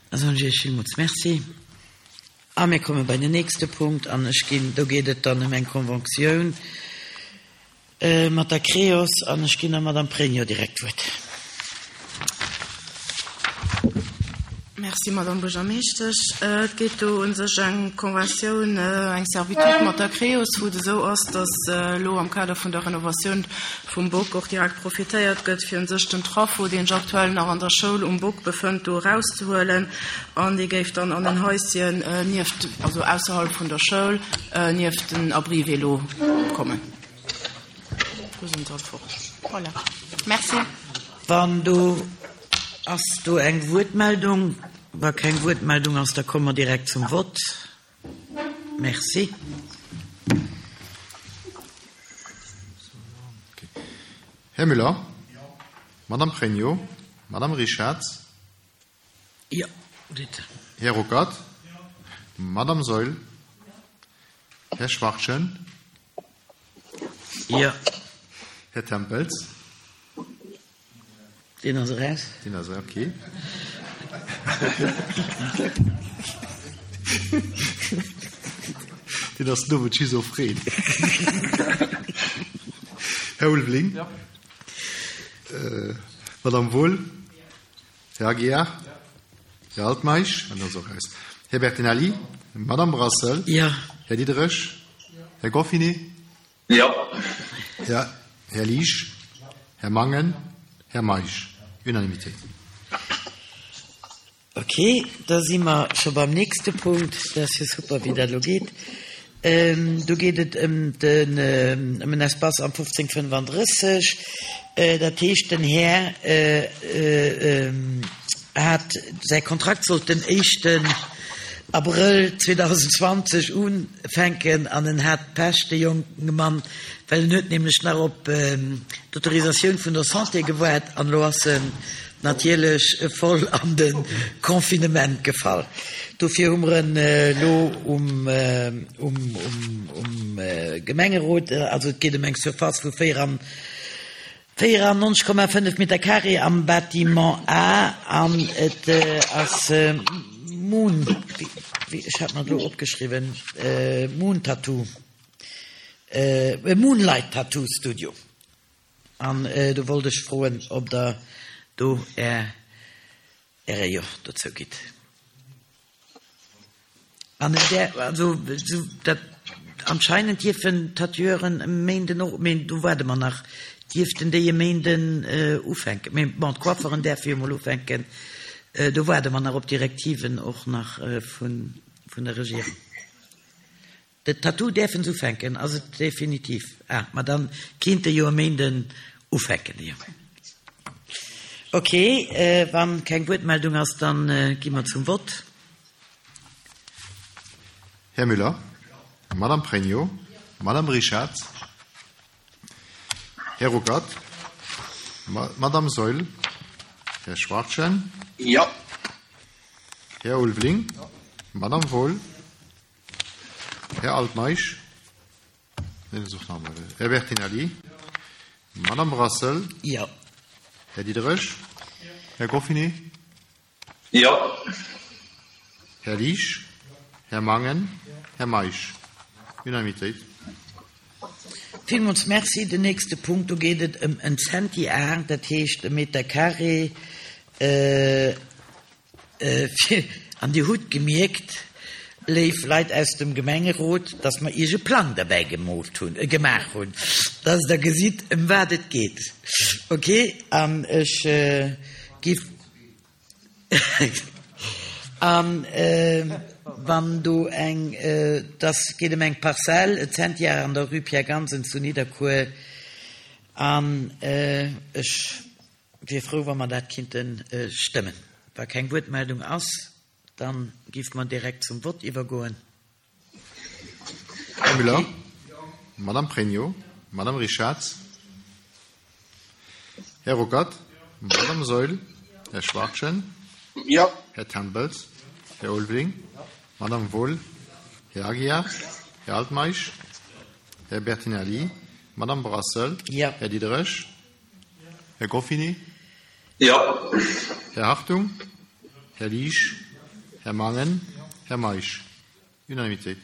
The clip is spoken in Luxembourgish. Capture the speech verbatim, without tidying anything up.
Da soen ech Iech villmools Merci. A mir komme bei den nächste Punkt an ech ginn, do geet et dann ëm eng Conventioun mat der Creos an ech ginn der Madame Pregno direkt d'Wuert. Merci, Madame Buergermeeschtesch. Et geet do u sech eng Conventioun, eng Servitude mat der Creos, wou et esou ass, dass elo am Kader vun der Renovatioun vum Bock och direkt profitéiert gëtt, fir u sech den Traffo, deen sech aktuell nach an der Schoul um Bock befënnt, do erauszehuelen. An dee géif dann an en Haischen nieft, also ausserhalb vun der Schoul, nieft den Abri-vélo kommen. Do sinn se all fort. Voilà. Merci. Wann do Ass do eng Wuertmeldung? Wa keng Wuertmeldung ass, da komme mer direkt zum Vott. Merci. Här Müller? Madame Pregno? Madame Richarz? Jo, bitte. Här Ruckert? Madame Saeul? Här Schwachtgen? Jo. Här Tempels? Deen ass eraus. Deen ass eraus, okay. Deen ass den Owend schizophren. Här Ulveling? Jo. Madame Wohl? Här Aguiar? Här Altmeisch? Deen ass och eraus. Här Bertinelli? Madame Brassel? Jo. Här Diderich? Här Goffinet? Jo. Här, Här Liesch? Här Mangen? Här Meisch. Unanimitéit. Ok, da si mer scho beim nächste Punkt. Dat ass jo super, wéi dat elo geet. Do geet et ëm den, ëm en Espace am fofzéng fënnefandrësseg. Dat heescht, den Här hat, säi Kontrakt sollt den éischten Abrëll zweedausendzwanzeg ufänken an en hat Pech, de jonke Mann, well en huet nämlech nach op d'Autorisatioun vun der Santé gewaart an elo ass en natierlech voll an de Confinement gefall. Dofir hu mer en elo um Gemengerot, also et geet ëm eng Surface vu véierannonzeg Komma fënnef Meter carré am Bâtiment A an et ass Moon, wéi, ech hat mer et elo opgeschriwwen, Moon Tattoo, Moonlight Tattoo Studio. An do wollt ech froen, ob Der do Är, Äre Jo dozou gitt. An en där, also esou dat, anscheinend dierfen d'Tatoueuren e Méinden och, mee do waarde mer nach, dierften déi e Méinden ufänken. Mee bon, d'Coifferen däerfe jo mol ufänken. Do waarde mer nach op Direktiven och nach vun der Regierung. De Tattoo däerfen se ufänken, ass et definitiv? Ah, ma dann kéinte jo e Méinden ufänken, jo. Ok, wann keng Wuertmeldung ass, dann gi mer zum Vott. Här Müller, Madame Pregno, Madame Richarz, Här Ruckert, Madame Saeul, Här Schwachtgen, Jo. Här Ulveling, Madame Wohl, Här Altmeisch, Här Bertinelli, Madame Brassel, Jo. Här Diderich, Här Goffinet, Jo. Här Liesch, Här Mangen, Här Meisch. Unanimitéit. Villmools Merci. Den nächste Punkt, do geet et ëm en Centiar, dat heescht e Meter carré. An Dir hutt gemierkt, léif Leit aus dem Gemengerot, dass mer Iech e Plang derbäi gemoolt hunn, gemaach hunn, dass Der gesitt, ëm wat et geet. Okay, an ech giff. An wann do eng, dass geet ëm eng Parzell, e Zentiar an der Rue Pierre Gansen zu Nidderkuer, an ech wier frou, wa mer dat kinnte stëmmen. Wa keng Wuertmeldung ass, da géife mer direkt zum Vott iwwergoen. Här Müller, Madame Pregno, Madame Richarz, Här Ruckert, Madame Saeul, Här Schwachtgen, Jo. Här Tempels, Här Ulveling, Madame Wohl, Här Aguiar, Här Altmeisch, Här Bertinelli, Madame Brassel, Jo. Här Diderich, Här Goffinet, Jo. Här Hartung, Här Liesch, Herr Mangen, Herr Meisch. Unanimité.